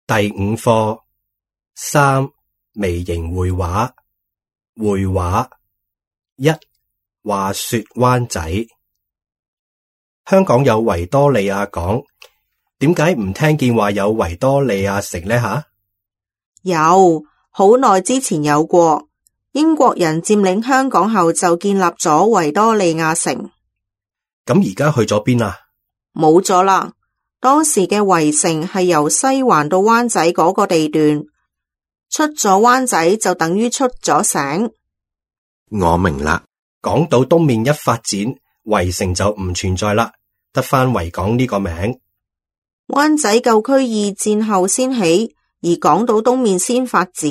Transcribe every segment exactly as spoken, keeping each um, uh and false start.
第五課三微型繪畫。繪畫一，話說灣仔。香港有維多利亞港，點解唔聽見話有維多利亞城呢？吓，有，好耐之前有過，英國人佔領香港後就建立咗維多利亞城。咁而家去咗邊啊？冇咗啦。當時嘅圍城係由西環到灣仔嗰個地段，出咗灣仔就等於出咗省。我明啦。港島東面一發展，圍城就唔存在啦，得返維港呢個名。灣仔舊區二戰後先起，而港島東面先發展。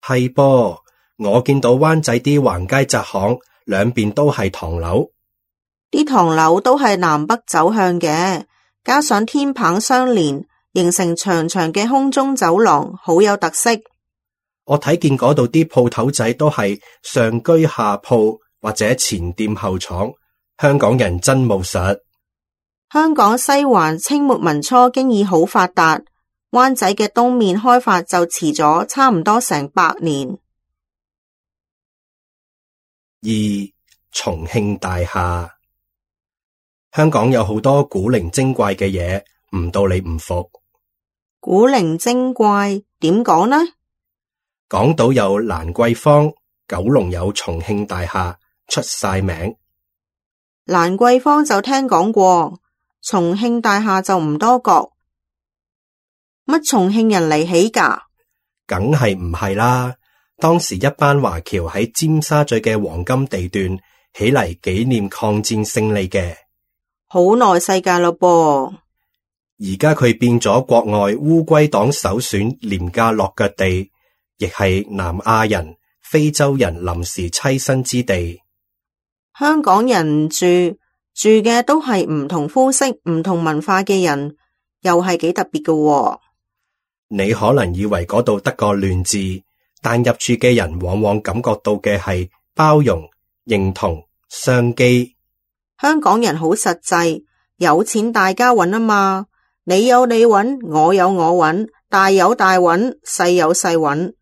係噃，我見到灣仔啲橫街窄巷兩邊都係唐樓，啲唐樓都係南北走向嘅，加上天棚相連，形成長長嘅空中走廊，好有特色。我睇見嗰度啲鋪頭仔都係上居下鋪或者前店後廠，香港人真務實。香港西環清末民初經已好發達，灣仔嘅東面開發就遲咗差唔多成百年。二，重慶大廈。香港有好多古靈精怪嘅嘢，唔到你唔服。古靈精怪點講呢？港島有蘭桂坊，九龍有重慶大廈，出晒名。蘭桂坊就聽講過，重慶大廈就唔多覺。乜重慶人嚟起㗎？梗係唔係啦，當時一班華僑喺尖沙咀嘅黃金地段起嚟紀念抗戰勝利嘅。好耐世界咯噃。而家佢變咗國外烏龜黨首選廉價落腳地，亦係南亞人、非洲人臨時棲身之地。香港人唔住，住嘅都係唔同膚色、唔同文化嘅人，又係幾特別嘅喎。你可能以為嗰度得個亂字，但入住嘅人往往感覺到嘅係包容、認同、商機。香港人好實際，有錢大家搵啊嘛，你有你搵，我有我搵，大有大搵，細有細搵。